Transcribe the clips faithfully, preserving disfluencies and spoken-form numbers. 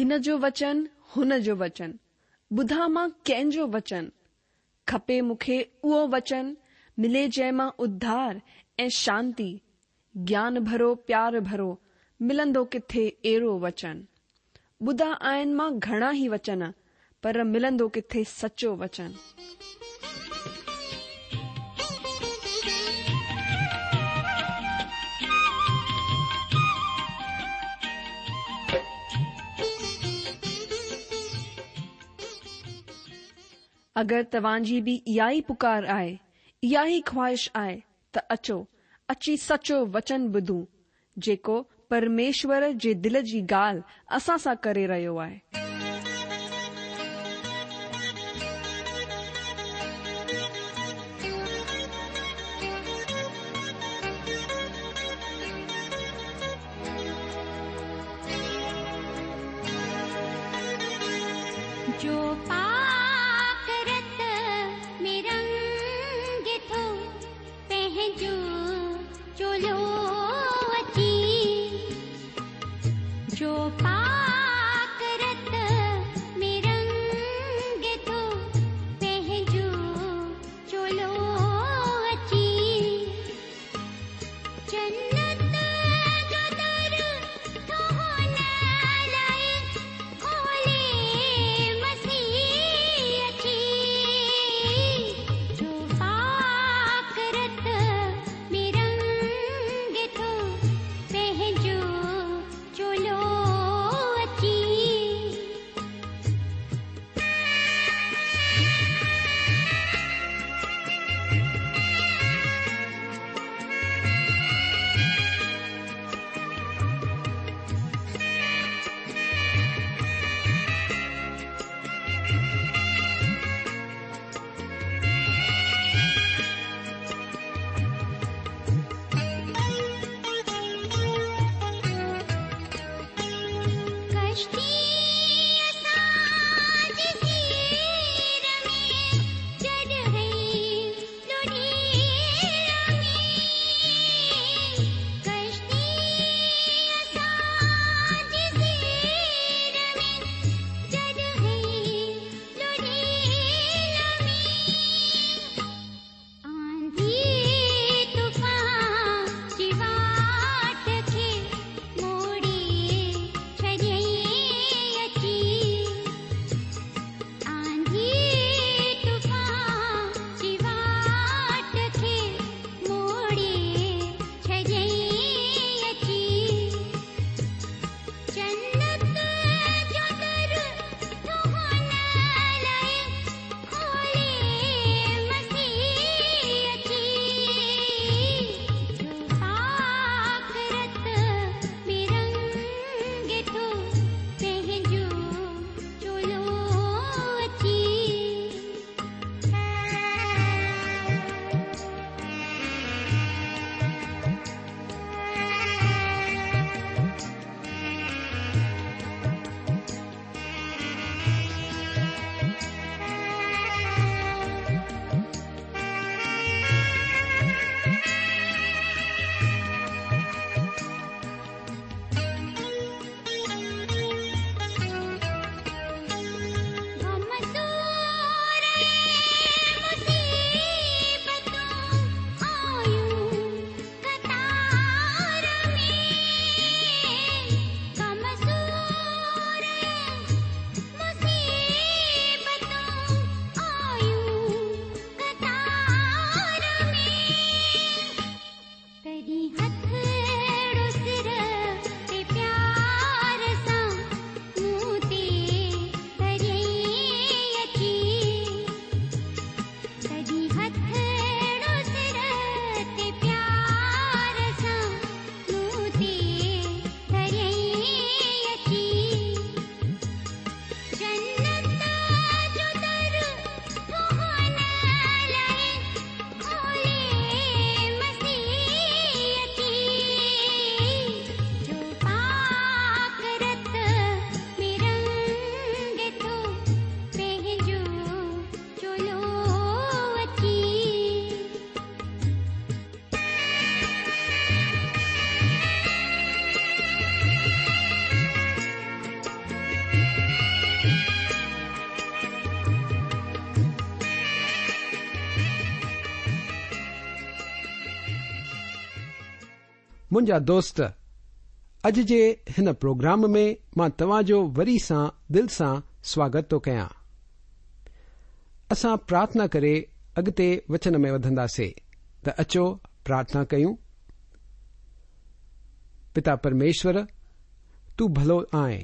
هن جو وچن، هن جو وچن، ٻڌان مان ڪنهن جو وچن؟ کپي مون کي اهو وچن، ملي جنهن مان اڌار ۽ شانتي، گيان ڀرو پيار ڀرو، ملندو ڪٿي اهڙو وچن؟ ٻڌا آهن مان گهڻا ئي وچن، پر ملندو ڪٿي سچو وچن؟ اگر توهان جي به اها ئي پڪار آهي، اها ئي خواهش آهي ته اچو، اچي سچو وچن ٻڌون، جيڪو پرميشور جي دل جي ڳالهه اسان سان ڪري رهيو آهي. جو پاڪ رت ۾ رنگي ٿو پنهنجو چولو اچي، جو پاڪ رت ۾ رنگي ٿو پنهنجو چولو اچي، جنت جو در ٿو هن لاءِ کولي مسيح منهنجا دوست، اڄ جي هن پروگرام ۾ مان توهان جو وري سان دل سان سواگت ٿو ڪيان. اسان پرارٿنا ڪري اڳتي وچن ۾ وڌنداسي ته اچو پرارٿنا ڪيون. پتا پرميشور، تون ڀلو آهين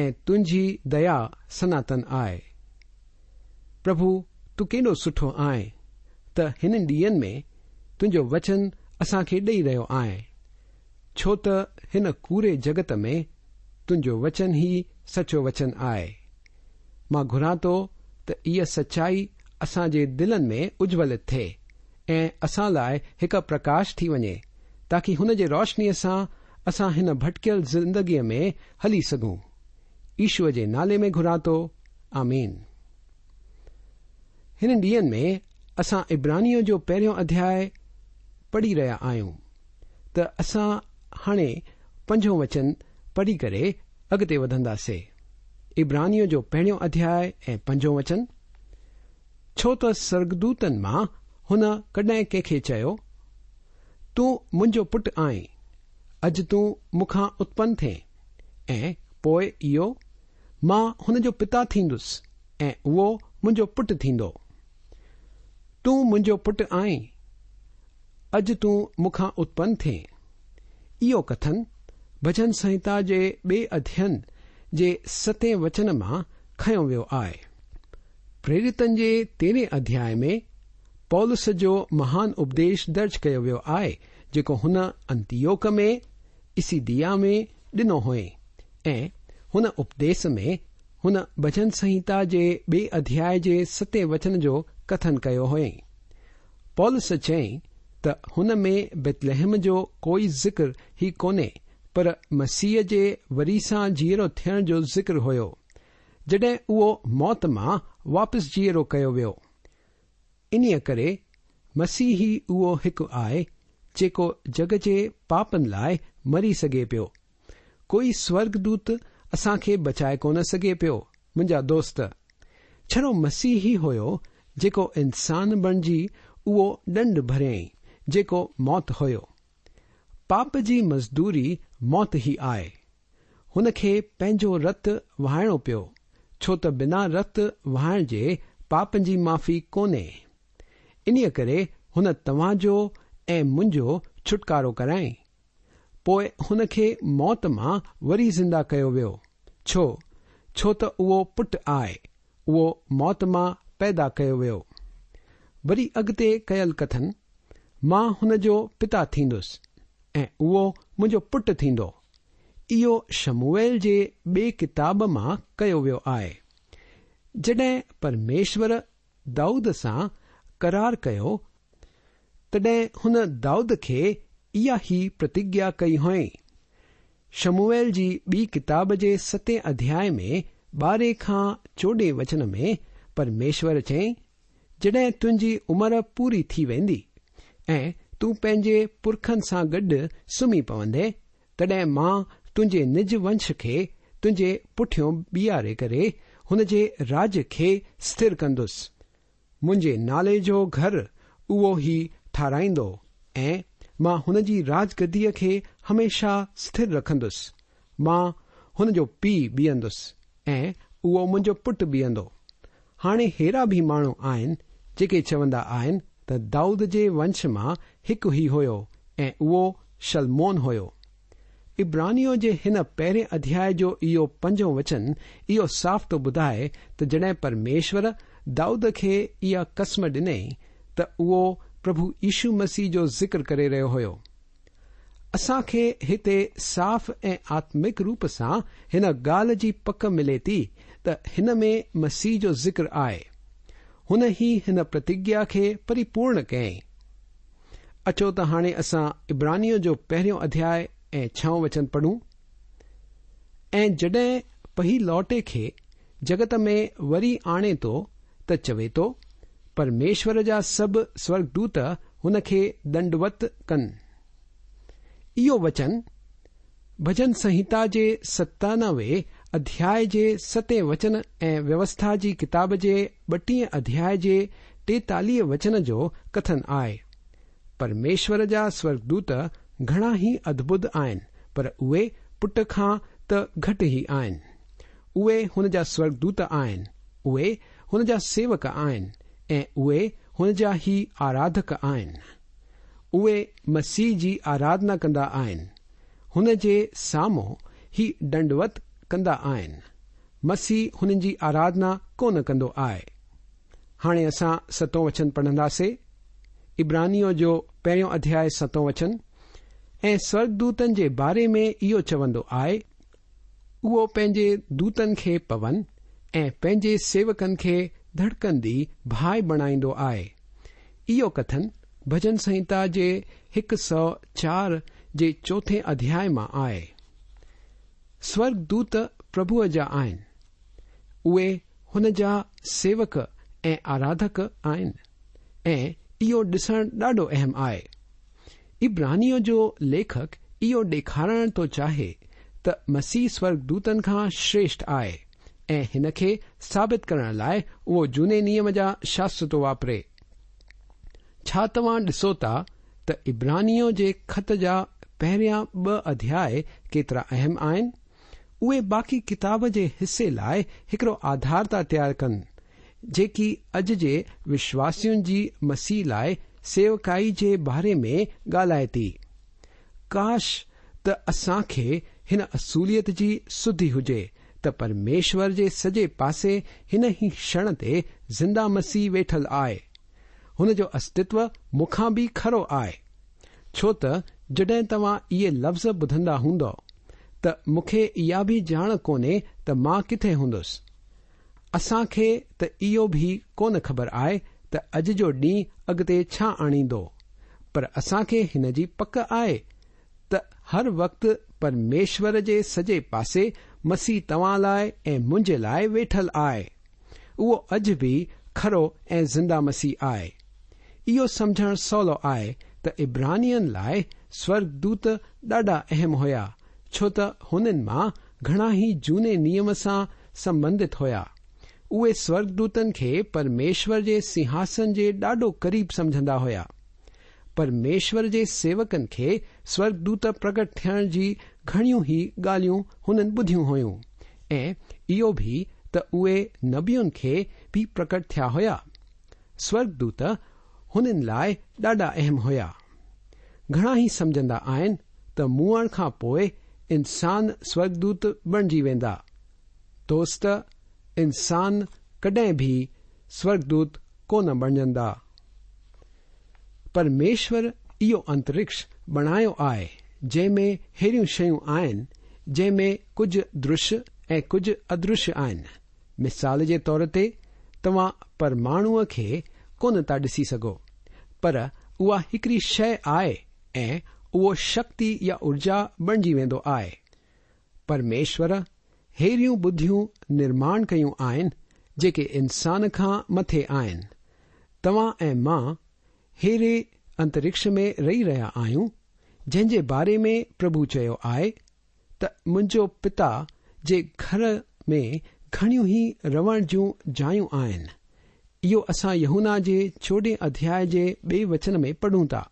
۽ تنهنجي ديا سناتن آهي. پرڀو، تون ڪيڏو سٺو آهين ته هنن ڏينهن ۾ تنهنجو وچن اسان کي ڏيئي رهيو آهين، ڇو ته هن ڪوڙي جڳت ۾ تنهنجو وچن ئي سچو وچن آهي. مان گهران ٿو ته اها سچائي اسان جي دلن ۾ اجولت ٿئي ۽ اسان لاءِ هڪ پرڪاش ٿي وڃي، تاڪه هن جي روشنيءَ سان اسان هن ڀٽڪيل زندگيءَ ۾ هلي سگهون. يشوءَ جي نالي ۾ گهران ٿو، آمين. هنن ڏينهن ۾ اسان عبرانيءَ جو پهريون اڌياءُ پڙهي رهيا آهيون ته اسان هاڻي پنجون وچن پڙهي ڪري اڳتي وڌنداسين. عبرانيءَ جو پهريون اڌياءُ ۽ پنجون وچن. ڇو ته سورڳدوتن مان هن ڪڏهن ڪنهن کي چيو، تون منهنجو پٽ آهين، اڄ تون مون کان اتپن ٿئين، ۽ پوءِ اهو مان هن جو پتا ٿيندس ۽ اهو منهنجو پٽ ٿيندو. تون منهنجو پٽ آهين، اڄ تون مون کان اتپن ٿئين. اهو ڪٿن ڀڄن سنهتا جي ٻئي اڌيين جي ستين وچن مان کنيو ويو آهي. پريرتن جي تيرهين اڌياءِ ۾ پولس جو مهان اپديش درج ڪيو ويو آهي، جيڪو هن انتيوڪ ۾ پسيديا ۾ ڏنو هئي، ۽ هن اپديش ۾ هن ڀڄن سنهتا جي ٻئي اڌياءِ جي ستين وچن جو ڪٿن ڪيو هئي. پولس چيائين ته هن ۾ بيتلحم جو ڪوئي ذڪر ئي ڪونهي، پر مسيح جي وري سان جيئرو ٿيڻ جو ذڪر هيو، جڏهن اهو موت مان واپس جيئرو ڪيو ويو. انهيءَ ڪري مسيح ئي اهو هڪ آهي جيڪو جڳ جي پاپن لاءِ مري سگهي پيو. ڪوئي سورڳدوت اسان کي بچائي ڪونه سگهي پيو. منهنجا دوست، ڇڙو مسيح ئي هيو جيڪو انسان بڻجي اهو ڏنڊ ڀريائين جيڪو موت هيو. پاپ جي مزدوري موت ئي آهي. هن کي پنهنجو رت وهائڻو پيو، ڇو ته بنا رت وهائڻ جي پاپن جي معافي ڪونهي. انهيءَ ڪري هن توهان جو ۽ منهنجو ڇوٽڪارو ڪرائين. پوءِ هن کي موت مان وري زنده ڪيو ويو. ڇو؟ ڇو ته اهو پٽ آهي، اهو موت مان پيدا ڪيو ويو. وري اڳتي ڪيل ڪٿن، مان هن جو پتا ٿيندس ۽ اهو منهنجو پٽ ٿيندو. اهو شموئيل جي ٻئي ڪتاب مان ڪيو ويو آهي. جڏهن پرميشور دائود سان قرار ڪيو، تڏهن هن دائود کي اها ئي پرتگيا ڪئي هئي. شموئيل جي ٻي ڪتاب جي ستين اڌياءِ ۾ ٻارهين کان چوڏهين وچن ۾ پرميشور چيائين، جڏهن تنهنجي عمر پوري ٿي ويندي ۽ تون پنهنجي پرکن سان گڏ سمهي پوندين، تڏهن مان تنهنجي نج ونش کي تنهنجي پٺيون بيهاري ڪري هن جي راڄ کي اسٿر ڪندس. منهنجي نالي جو گهر اهو ئي ٺاراهيندو ۽ مان هن جي راجگديءَ کي هميشه اسٿر رکندس. مان هن جو پيءُ بيهندس ۽ اهو منهنجو پٽ بيهندو. هاڻي ههڙا به ماڻهو آهن جيڪي چوندا آهن ته دائود جي ونش مان هڪ ئي هيو ۽ اهو شلمون هيو. عبرانيءَ جي هن پهرين اڌياءِ جو اهو پنجون وچن اهو صاف ٿو ٻڌائي ته جڏهن پرميشور دائود کي اها قسم ڏني ته اهو پرڀو يشو مسيح جو ذڪر ڪري رهيو هيو. اسان کي هتي صاف ۽ آتمڪ روپ سان هن ڳالهه جي پڪ ملي ٿي ته هن ۾ مسيح جو ذڪر آهي. هن ئي هن پرتگيا کي پريپورڻ ڪيائين. اچو ته هاڻي اسان عبرانيءَ جو پهريون اڌياءُ ۽ ڇهون وچن پڙهون. ۽ جڏهن پهلوٽي کي جڳت ۾ وري آڻي ٿو ته چوي ٿو، پرميشور جا سڀ سورڳدوت هن کي دنڊوت ڪن. اهو وچن ڀڄن سنهتا جي ستانوي اڌياءُ جي ستين وچن ۽ ويوسٿا جي ڪتاب جي ٻٽيهين اڌياءُ جي ٽيتاليهه وچن جو ڪٿن آهي. پرميشور جا سورڳدوت घणा ही अद्भुत आहिनि, पर उहे पुट खां त घटि ई आहिनि। उहे हुन जा स्वर्गदूत आहिनि, उहे हुन जा सेवक आहिनि ऐं उहे हुन जा ही आराधक आहिनि। उहे मसीह जी आराधना कंदा आहिनि, हुन जे साम्हूं ही दंडवत कंदा आहिनि। मसीह हुननि जी आराधना कोन कंदो आहे। हाणे असां सतों वचन पढ़ंदासीं। इब्रानियों जो पहिरियों अध्याय सतों वचन। ऐं स्वर्गदूतनि जे बारे में इहो चवंदो आहे, उहो पंहिंजे दूतनि खे पवन ऐं पंहिंजे सेवकनि खे धड़कंदी भाइ बणाईंदो आहे। इहो कथन भजन संहिता जे हिकु सौ चारि जे चोथे अध्याय मां आहे। स्वर्गदूत प्रभुअ जा आहिनि, उहे हुन जा सेवक ऐं आराधक आहिनि ऐं इहो ॾिसणु ॾाढो अहम आहे। इब्रानियों जो लेखक इहो ॾेखारणु थो चाहे त मसीह स्वर्गदूतनि खां श्रेष्ठ आहे ऐं हिन खे साबित करण लाइ उहो जूने नियम जा शास्त्र थो वापरे। छा तव्हां ॾिसो था त इब्रानियों जे ख़त जा पहिरियां ॿ अध्याय केतिरा अहम आहिनि? उहे बाक़ी किताब जे हिसे लाइ हिकिड़ो आधार था तयारु कनि, जेकी अॼु जे विश्वासियुनि जी मसीह लाइ सेवकाई जे बारे में ॻाल्हाए थी। काश त असांखे हिन असूलियत जी सुधी हुजे त परमेश्वर जे सॼे पासे हिन ई क्षण ते ज़िंदा मसीह वेठल आहे। हुन जो अस्तित्व मूंखां बि खरो आहे, छो त जॾहिं तव्हां इहे लफ़्ज़ ॿुधंदा हूंदव त मूंखे इहा बि ॼाण कोन्हे त मां किथे हूंदुसि। असांखे त इहो बि कोन ख़बर आहे त अॼु जो ॾींहुं अॻिते छा आणींदो, पर असांखे हिन जी पक आहे त हर वक़्तु परमेश्वर जे सॼे पासे मसीह तव्हां लाइ ऐं मुंहिंजे लाइ वेठल आहे। उहो अॼु बि खरो ऐं ज़िंदा मसीह आहे। इहो सम्झणु सवलो आहे त इब्रानियनि लाइ स्वर्गदूत ॾाढा अहम हुया, छो त हुननि मां घणा ई जूने नियम सां संबंधित हुया। उहे स्वर्गदूतनि खे परमेश्वर जे सिंहासन जे ॾाढो क़रीब सम्झंदा हुया। परमेश्वर जे सेवकनि खे स्वर्गदूत प्रगट थियण जी घणियूं ई ॻाल्हियूं हुननि ॿुधियूं हुयूं ऐं इहो बि त उहे नबियुनि खे बि प्रकट थिया हुया। स्वर्गदूत हुननि लाइ ॾाढा अहम हुया। घणा ई सम्झंदा आहिनि त मुअण खां पोइ इंसान स्वर्गदूत बणिजी वेंदा। दोस्त, इंसान कॾहिं बि स्वर्गदूत कोन बणिजंदा। परमेश्वर इहो अंतरिक्ष बणायो आहे जंहिंमें अहिड़ियूं शयूं आहिनि जंहिंमें कुझु दृश्य ऐं कुझु अदृश्य आहिनि। मिसाल जे तौर ते तव्हां परमाणुअ खे कोन था ॾिसी सघो, पर उहा हिकिड़ी शइ आहे ऐं उहो शक्ति या ऊर्जा बणिजी वेंदो आहे। परमेश्वर अहिड़ियूं बुद्धियूं निर्माण कयूं आहिनि जेके इंसान खां मथे आहिनि। तव्हां ऐं मां अहिड़े अंतरिक्ष में रही रहिया आहियूं जंहिंजे बारे में प्रभु चयो आहे त मुंहिंजो पिता जे घर में घणियूं ई रवण जूं जायूं आहिनि। इहो असां यूहन्ना जे चोॾहें अध्याय जे ॿिए वचन में पढ़ूं था।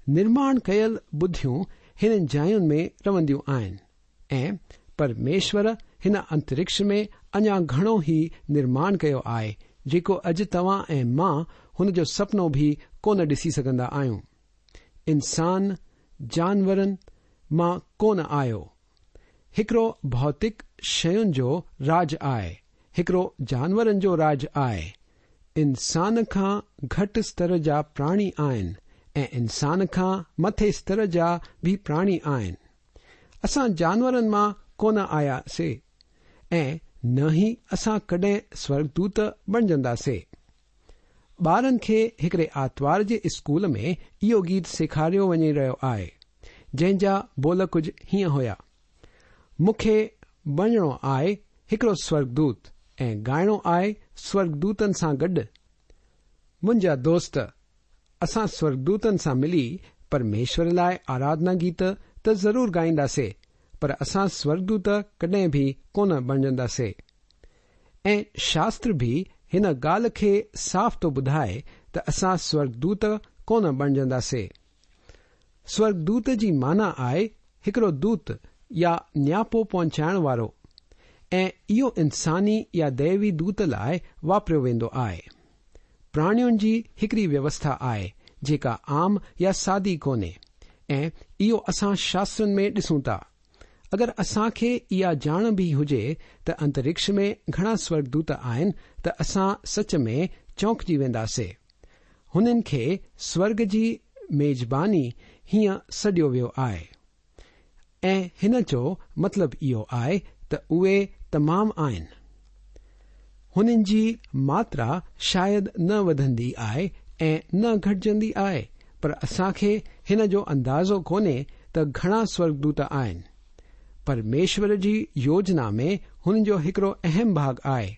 निर्माण कयल बुद्धियूं हिननि जायुनि में रवंदियूं आहिनि ऐं परमेश्वर हिन अंतरिक्ष में अञा घणो ई निर्माण कयो आहे जेको अॼु तव्हां ऐं मां हुन जो सपनो बि कोन ॾिसी सघंदा आहियूं। इंसान जानवरनि मां कोन आयो। हिकिड़ो भौतिक शयुनि जो राज आहे, हिकिड़ो जानवरनि जो राज आहे। इंसान खां घटि स्तर जा प्राणी आहिनि ऐं इंसान खां मथे स्तर जा बि प्राणी आहिनि। असां जानवरनि मां कोन आयासीं ऐं न ई असां कॾहिं स्वर्गदूत बणिजंदासीं। ॿारनि खे हिकिड़े आतवार जे स्कूल में इहो गीत सेखारियो वञी रहियो आहे जंहिंजा बोल कुझु हीअं हुया: मूंखे बणिजणो आहे हिकिड़ो स्वर्गदूत ऐं ॻाइणो आहे स्वर्गदूतनि सां गॾु। मुंहिंजा दोस्त, असां स्वर्गदूतनि सां मिली परमेश्वर लाइ आराधना गीत त ज़रूर ॻाईंदासीं, पर असां स्वर्गदूत कॾहिं बि कोन बणिजंदासीं। ऐं शास्त्र बि हिन ॻाल्हि खे साफ़ थो ॿुधाए त असां स्वर्गदूत कोन बणिजंदासीं। سورڳدوت جي معنيٰ آهي هڪڙو دوت يا نياپو پهچائڻ وارو ۽ اهو انساني يا ديوي دوت لاءِ واپريو ويندو آهي. پراڻين جي هڪڙي ويوسٿا آهي جيڪا عام يا سادي ڪونهي ۽ اهو اسان شاسترن ۾ ڏسون ٿا. اگر اسان کي اها ڄاڻ به هجي ته انترڪش ۾ گهڻا سورڳدوت آهن ته اسان سچ ۾ چونڪجي وينداسي. هنن کي سورڳ جي ميزباني هيئن سڏيو ويو آهي ۽ هن جو مطلب اهو آهي ته اهي تمام آهن. هنن جي ماترا شايد نه وڌندي آهي ۽ نه گهٽجندي آهي، پر اسان کي هن جو اندازو ڪونهي ته گهڻا سورڳدوت آهن. پرميشور جي يوجنا ۾ هن جو هڪڙو اهم ڀاڳ آهي،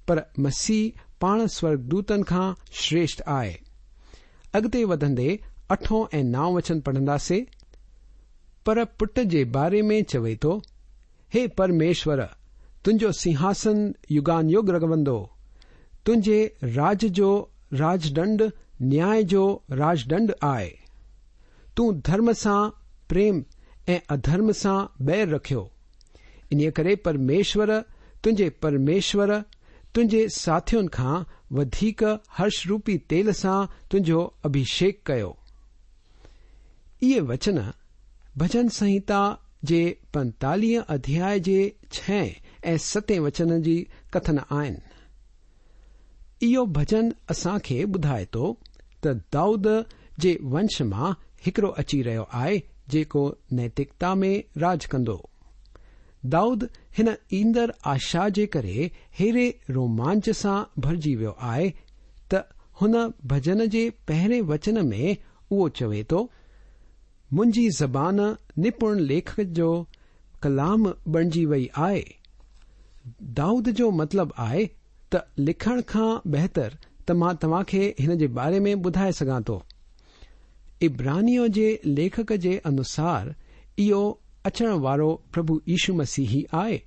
پر مسيح پاڻ سورڳدوتن کان شريشٺ آهي. اڳتي وڌندي اٺون ۽ نائون وچن پڙهنداسي. پر پٽ جي باري ۾ چوي ٿو، هي پرميشور، تنهنجو سنگهاسن يگان يگ رهندو، تنهنجي راج جو راجڏنڊ نياءِ جو راجڏنڊ آهي. تون ڌرم سان پريم ۽ اڌرم سان بير رکيو. انهيءَ ڪري پرميشور تنهنجي پرميشور تنهنجي ساٿين کان وڌيڪ هرش روپي تيل سان تنهنجو اڀشيڪ ڪيو. اهي وچن ڀڄن سنهتا جي پنتاليهه اڌياءِ جي ڇهين ۽ ستين وچن جي ڪٿن آهن. اهو ڀڄن اسان کي ٻڌائي ٿو ته دائود جي ونش مان هڪڙو اچي رهيو آهي جيڪو نيتڪتا ۾ راڄ ڪندو. دائود هن ايندڙ آشا جي ڪري هيڏي رومانچ سان ڀرجي ويو آهي ته هن ڀڄن جي پهرين وچن ۾ اهو چوي ٿو، منهنجي زبان نپڻ ليکڪ جو ڪلام بڻجي وئي آهي. دائود جو مطلب آهي ته لکڻ کان بهتر ته مان توهان کي هن جي باري ۾ ٻڌائي سگهان ٿو. عبرانيءَ جي ليکڪ جي انوسار اهو اچڻ وارو پرڀو يشو مسيح ئي آهي.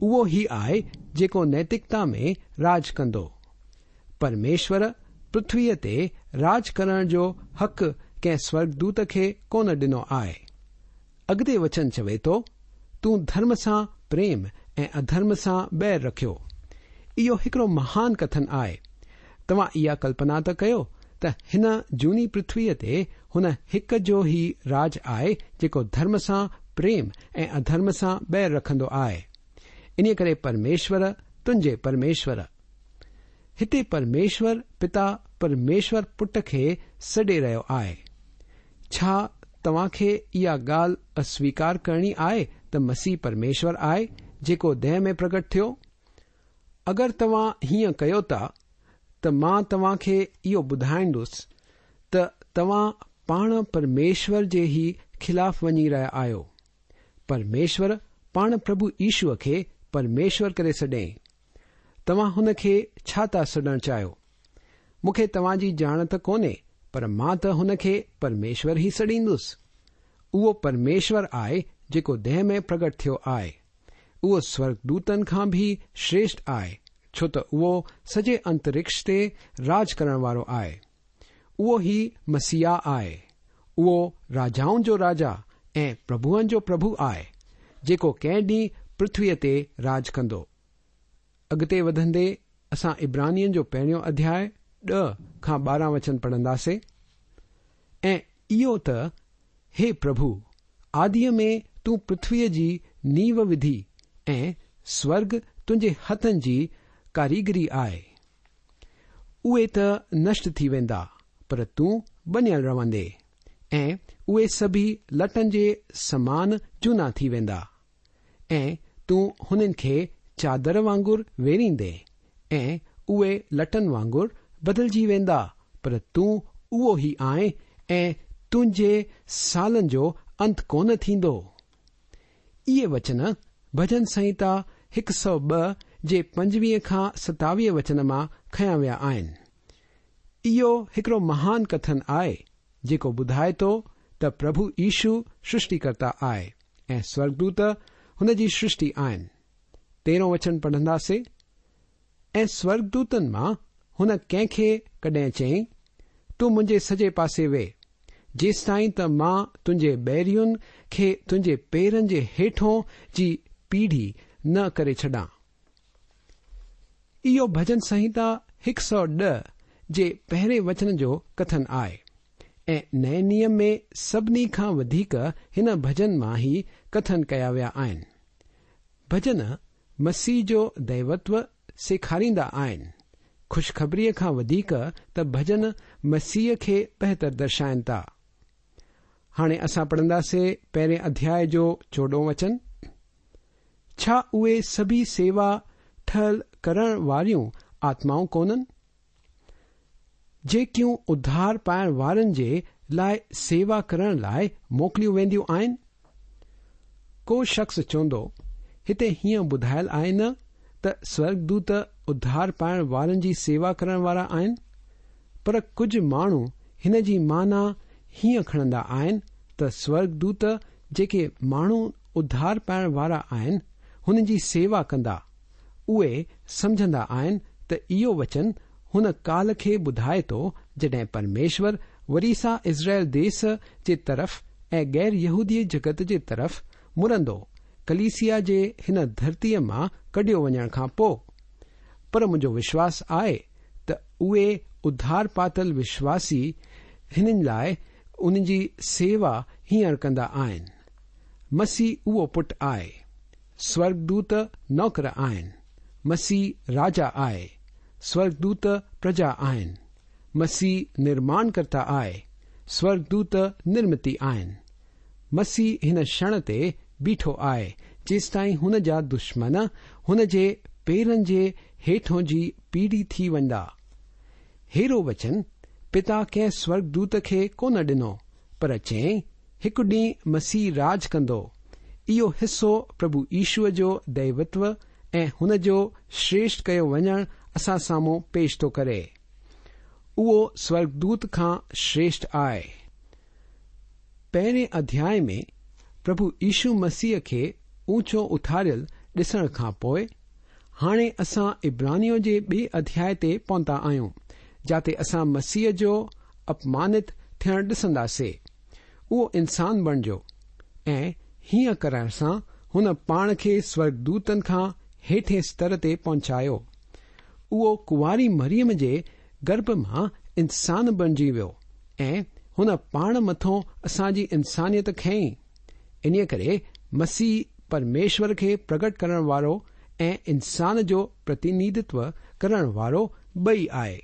اهو ئي آهي جيڪو نيتڪتا ۾ راڄ ڪندو. پرميشور پرٿويءَ تي راڄ ڪرڻ جو حق ڪنهن سورڳدوت کي ڪونه ڏنو آهي. اڳتي وچن چوي ٿو، تون ڌرم سان پريم ۽ اڌرم سان بير رکيو. اهو هڪڙو مهان ڪٿن آهي. توهان اها ڪلپنا ته ڪيو ته هن جهوني پرٿويءَ تي هن هڪ جو ئي راڄ آهي جيڪو ڌرم سان پريم ۽ اڌرم سان بير رکندو آهي. انهيءَ ڪري پرميشور تنهنجي پرميشور. هتي پرميشور پتا پرميشور پٽ کي سڏي رهيو آهي. ڇا توهان کي اها ڳالهه اسويڪار ڪرڻي آهي ته مسيح پرميشور آهي جيڪو ديهه ۾ پرگٽ ٿيو؟ اگر توهان هيئن ڪيو ٿا ته مان توهان کي اهو ٻڌائيندس ته توهان پاڻ پرميشور جي ئي خلاف وڃي رهيا آهيو. پرميشور پاڻ پرڀو يشوءَ کي پرميشور ڪري سڏيائين. توهان هن کي ڇا ٿا سڏڻ چاهيو؟ مون کي توهان جي ڄاڻ ته ڪونهي، پر مان ته هن کي پرميشور ئي سڏيندس. اهو پرميشور آهي جيڪو ديهه ۾ پرگٽ ٿيو آهي. اهو سورڳدوتن کان به شريشٺ آهي، ڇو ته اهو سڄي انترڪش تي راڄ ڪرڻ وارو آهي. اهو ئي مسيح آهي. اهو راجائن جو راجا ۽ پرڀوئن جو پرڀو آهي، جيڪو ڪنهن ڏينهن پرٿويءَ تي راڄ ڪندو. اڳتي وڌندي اسان عبرانين جو پهريون اڌياءِ ڏهه کان ٻارهن وچن پڙهنداسي. ۽ اهو ته هي پرڀو، آديءَ ۾ تون پرٿويءَ جي نيو وڌي ۽ سورڳ تنهنجي هٿن جي ڪاريگري آهي. اهي ته نشٽ ٿي ويندا، پر تون بڻيل رهندي ۽ اهي سڀئي لٽن جي سمان جهونا ٿي ويندا ۽ تون هنن کي چادر وانگر ويڙهيندي ۽ اهي لٽن وانگر بدلجي ويندا، پر تون اهو ئي آهين ۽ تنهنجي سالن جو انت ڪونه ٿيندو. اهي وچن ڀڄن سنهتا هڪ سؤ ٻه جي پنجويهه کان ستاويهه وچن مان کنيا ويا آهن. اهو هڪڙو مهان ڪٿن آهي جيڪو ٻڌائي ٿو ته پرڀو يشو سرشٽيڪرتا آهي ۽ سورڳدوت هن جي سرشٽي آهن. تيرهون وچن پڙهنداسي. ۽ سورڳدوتن مان هن ڪنهن کي ڪڏهن چيائين، تون منهنجي سڄي پاسي ويهه، जेसिताईं त मां तुंहिंजे ॿैरियुनि खे तुंहिंजे पेरनि जे हेठों जी पीढ़ी न करे छॾां। इहो भजन संहिता हिकु सौ ॾह जे पहिरें वचन जो कथन आहे ऐं नए नियम में सभिनी खां वधीक हिन भजन मां ई कथन कया विया आहिनि। भजन मसीह जो दैवत्व सेखारींदा आहिनि। ख़ुशख़बरीअ खां वधीक त भजन मसीह खे बहितर दर्शाइनि था। हाणे असां पढ़ंदासीं पहिरें अध्याय जो चोॾहों वचन। छा उहे सभई सेवा ठहियल करण वारियूं आत्माऊं कोन्हनि, जेकियूं उद्धार पाइण वारनि जे लाइ सेवा करण लाइ मोकिलियूं वेंदियूं आहिनि? को शख़्स चवंदो, हिते हीअं ॿुधायल आहे न त स्वर्गदूत उद्धार पाइण वारनि जी सेवा करण वारा आहिनि, पर कुझु माण्हू हिन जी माना हीअं खणंदा आहिनि त स्वर्गदूत जेके माण्हू उद्धार पाइण वारा आहिनि हुननि जी सेवा कंदा। उहे सम्झंदा आहिनि त इहो वचन हुन काल खे ॿुधाए थो जॾहिं परमेश्वर वरी सां इज़राइल देश जे तरफ़ ऐं ग़ैर यहूदी जगत जे तरफ़ मुड़ंदो, कलीसिया जे हिन धरतीअ मां कढियो वञण खां पोइ। पर मुंहिंजो विश्वास आहे त उहे उद्धार पातल विश्वासी हिननि लाइ उन्हनि जी सेवा हींअर कंदा आहिनि। मसीह उहो पुट आहे, स्वर्गदूत नौकर आहिनि। मसीह राजा आहे, स्वर्गदूत प्रजा आहिनि। मसीह निर्माणकर्ता आहे, स्वर्गदूत निर्मिती आहिनि। मसीह हिन क्षण ते बीठो आहे जेसिताईं हुन जा दुश्मन हुन जे पेरनि जे हेठों जी पीढ़ी थी वेंदा। हेरो वचन पिता कंहिं स्वर्गदूत खे कोन ॾिनो, पर चयईं, हिकु ॾींहुं मसीह राज कंदो। इहो हिसो प्रभु ईशूअ जो दैवत्व ऐं हुन जो श्रेष्ठ कयो वञण असां साम्हूं पेश थो करे। उहो स्वर्गदूत खां श्रेष्ठ आहे। पहिरें अध्याय में प्रभु ईशू मसीह खे ऊंचो उथारियल ॾिसण खां पोइ हाणे असां इब्रानियों जे ॿिए अध्याय ते पहुता आहियूं, जाते असां मसीह जो अपमानित थियण ॾिसंदासीं। उहो इंसान बणिजो ऐं हीअं करण सां हुन पाण खे स्वर्गदूतनि खां हेठे स्तर ते पहुचायो। उहो कुंवारी मरियम जे गर्भ मां इंसान बणिजी वियो ऐं हुन पाण मथों असांजी इंसानियत खयी। इन्हीअ करे मसीह परमेश्वर खे प्रगट करण वारो ऐं इंसान जो प्रतिनिधित्व करण वारो ॿई आहे।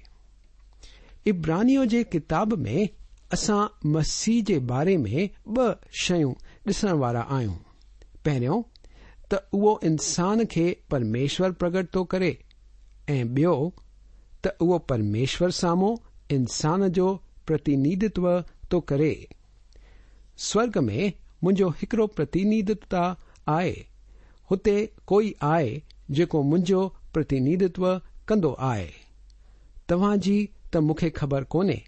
इब्रानियों जे किताब में असां मसीह जे बारे में ॿ शयूं ॾिसण वारा आहियूं। पहिरियों त उहो इंसान खे परमेश्वर प्रगट थो करे ऐं ॿियो त उहो परमेश्वर साम्हूं इंसान जो प्रतिनिधित्व थो करे। स्वर्ग में मुंहिंजो हिकिड़ो प्रतिनिधित्व आहे, हुते कोई आहे जेको मुंहिंजो प्रतिनिधित्व कंदो आहे। तव्हांजी त मूंखे ख़बर कोन्हे,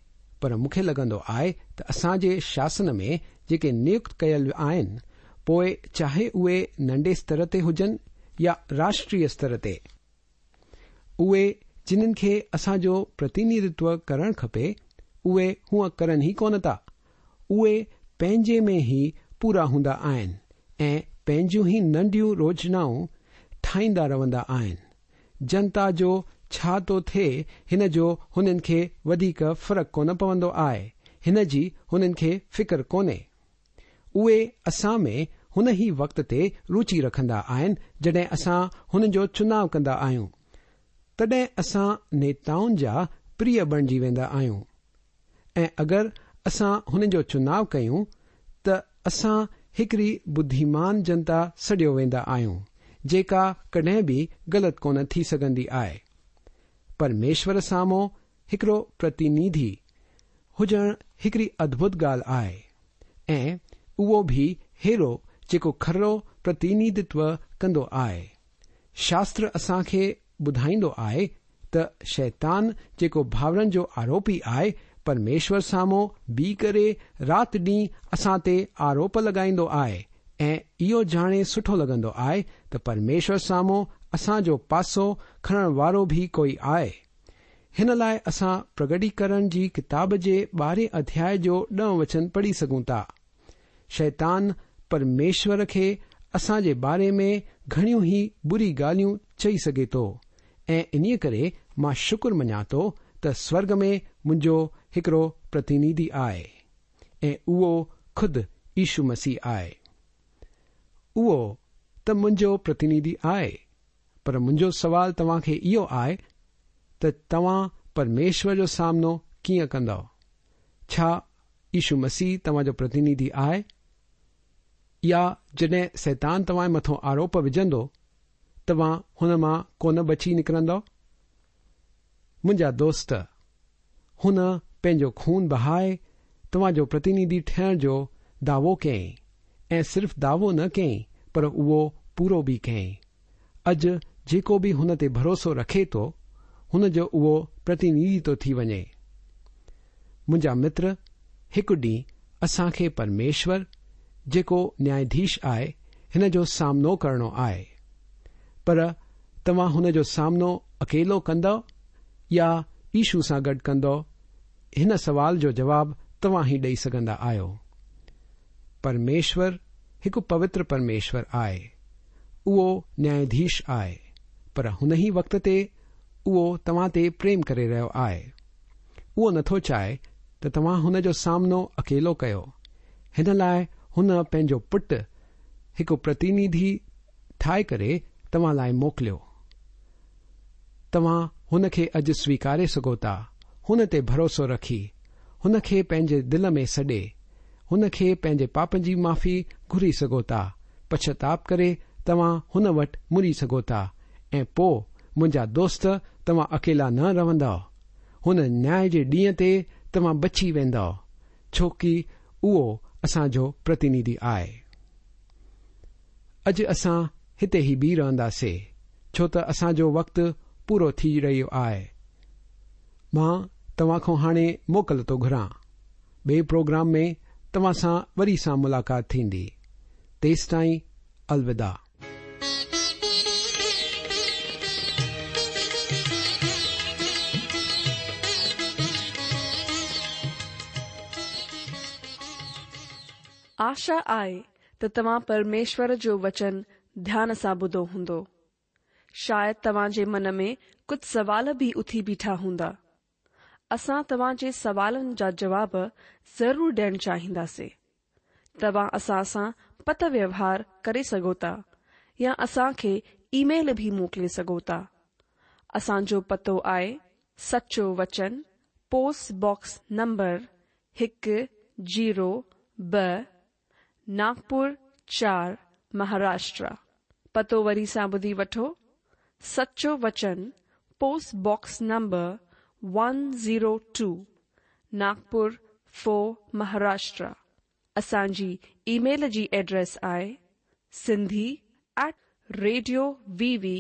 पर मूंखे लॻंदो आहे त असांजे शासन में जेके नियुक्त कयल आहिनि, पोइ चाहे उहे नंढे स्तर ते हुजनि या राष्ट्रीय स्तर ते, उहे जिन्हनि खे असांजो प्रतिनिधित्व करणु खपे उहे हूअं करनि ई कोन था। उहे पंहिंजे में ई पूरा हूंदा आहिनि ऐं पंहिंजूं ई नंढियूं योजनाऊं ठाहींदा रहंदा आहिनि। जनता जो छा थो थिए हिन जो हुननि खे वधीक फ़र्क़ु कोन पवंदो आहे, हिन जी हुननि खे फ़िक्र कोन्हे। उहे असां में हुन ई वक़्त ते रुचि रखंदा आहिनि जॾहिं असां हुननि जो चुनाव कंदा आहियूं, तॾहिं असां नेताउनि जा प्रिय बणिजी वेंदा आहियूं। ऐं अगरि असां हुननि जो चुनाव कयूं त असां हिकिड़ी बुद्धिमान जनता सॾियो वेंदा आहियूं, जेका कॾहिं बि ग़लति कोन थी सघंदी आहे। परमेश्वर साम्हूं हिकिड़ो प्रतिनिधि हुजणु हिकिड़ी अद्भुत ॻाल्हि आहे ऐं उहो बि हेरो जेको खरो प्रतिनिधित्व कंदो आहे। शास्त्र असांखे ॿुधाईंदो आहे त शैतान जेको भाउरनि जो आरोपी आहे, परमेश्वर साम्हूं बीह करे राति ॾींहुं असां ते आरोप लॻाईंदो आहे ऐं इहो ॼाणे सुठो लॻंदो आहे त परमेश्वर साम्हूं असांजो पासो खणण वारो बि कोई आहे। هن لاءِ اسان پرگٽيڪرڻ جي ڪتاب جي ٻارهين اڌياء جو ڏهه وچن پڙهي سگهون ٿا. شيطان پرميشور کي اسان جي باري ۾ گهڻيون ئي بري ڳالهيون چئي سگهي ٿو ۽ انهيءَ ڪري مان شڪر مڃان ٿو ته سورڳ ۾ منهنجو هڪڙو پرتنڌي آهي ۽ اهو خود يشو مسيح آهي. اهو ته منهنجو پرتنڌي آهي، پر منهنجو سوال توهان کي اهو آهي ته توهان پرميشور جو سامنو ڪيئن ڪندؤ؟ ڇا يشو مسيح توهان جو پرتنڌي آهي؟ يا جڏهن شيطان توهان جي مٿان آروپ وجهندو، توهان هن مان ڪونه بچي نڪرندؤ؟ منهنجا دوست، هن پنهنجو خون بهائي توهان جو پرتنڌي ٺهڻ جو دعوو ڪيائين ۽ صرف دعوو نه ڪيائين پر اهو پورو به ڪيائين. اڄ جيڪو به هن تي ڀروسو رکي ٿو، هن جو اهو پرتنڌي ٿو ٿي وڃي. منهنجا متر، هڪ ڏينهن اسان کي پرميشور جيڪو نياياڌيش آهي، هن جو سامنو ڪرڻو آهي. پر توهان هن جو سامنو اڪيلو ڪندؤ يا يشو سان گڏ ڪندؤ؟ هن سوال جو جواب توهان ئي ڏئي سگهندا آهيو. پرميشور هڪ پوتر پرميشور آهي. اهو نياياڌيش آهي، پر هن ئي وقت تي اهو توهان تي پريم ڪري رهيو آهي. اهو نٿو چاهي ته توهان هن جو سامنو اڪيلو ڪيو. هن لاءِ هن پنهنجو پٽ هڪ پرتنڌي ٺاهي ڪري توهان لاءِ موڪليو. توهان هن کي اڄ سويڪاري سگهو ٿا. هن تي ڀروسو رکي، هن کي پنهنجي دل ۾ سڏي، هن کي پنهنجي پاپن جي معافي گهري سگهو ٿا. پڇتاپ ڪري توهان هن وٽ مڙي سگهو ٿا ۽ پوءِ منهنجا دوست، توهان اڪيلا نه رهندؤ. هن نياءِ جي ڏينهن تي توهان بچي ويندؤ، ڇو ڪه اهو اسان جو پرتنڌي آهي. اڄ اسان هتي ئي بيهه رهنداسين، ڇو ته اسان جو وقت پورو ٿي رهيو آهي. مان توهان کان هاڻي موڪل ٿو گهران. ٻئي پروگرام ۾ توهان سان وري سان ملاقات ٿيندي. تيستائين الوداع. آشا آهي ته توهان پرميشور جو وچن ڌيان سان ٻڌو هوندو. شايد توهان جي من ۾ ڪجهه سوال به اٿي بيٺا هوندا. اسان توهان جي سوالن جا جواب ضرور ڏيڻ چاهينداسين. توهان اسان سان پتر ويوهار ڪري سگهو ٿا يا اسان کي اي ميل به موڪلي سگهو ٿا. اسان جو پتو آهي سچو وچن، پوسٽ باڪس نمبر هڪ زيرو ٻه، ناگپور چار، مهاراشٽر. پتو وري سان ٻڌي وٺو، سچو وچن، post box number one zero two, Nagpur four, Maharashtra. اسان جي اي ميل جي ايڊريس آهي Sindhi at radio V V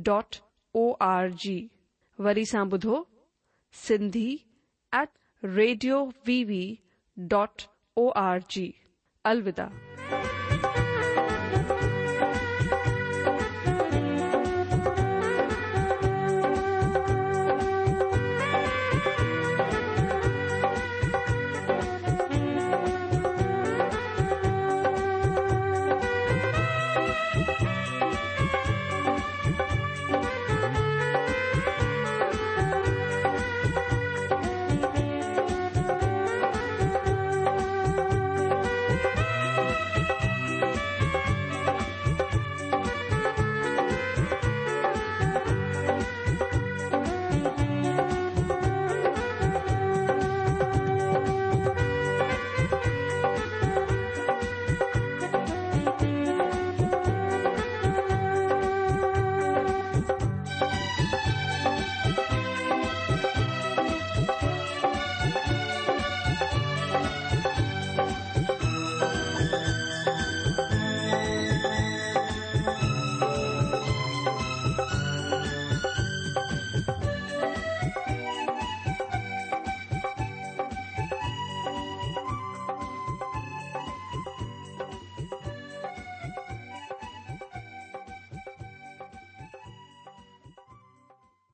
dot O R G. وري سان ٻڌو، Sindhi at radio V V dot O R G. الوداع.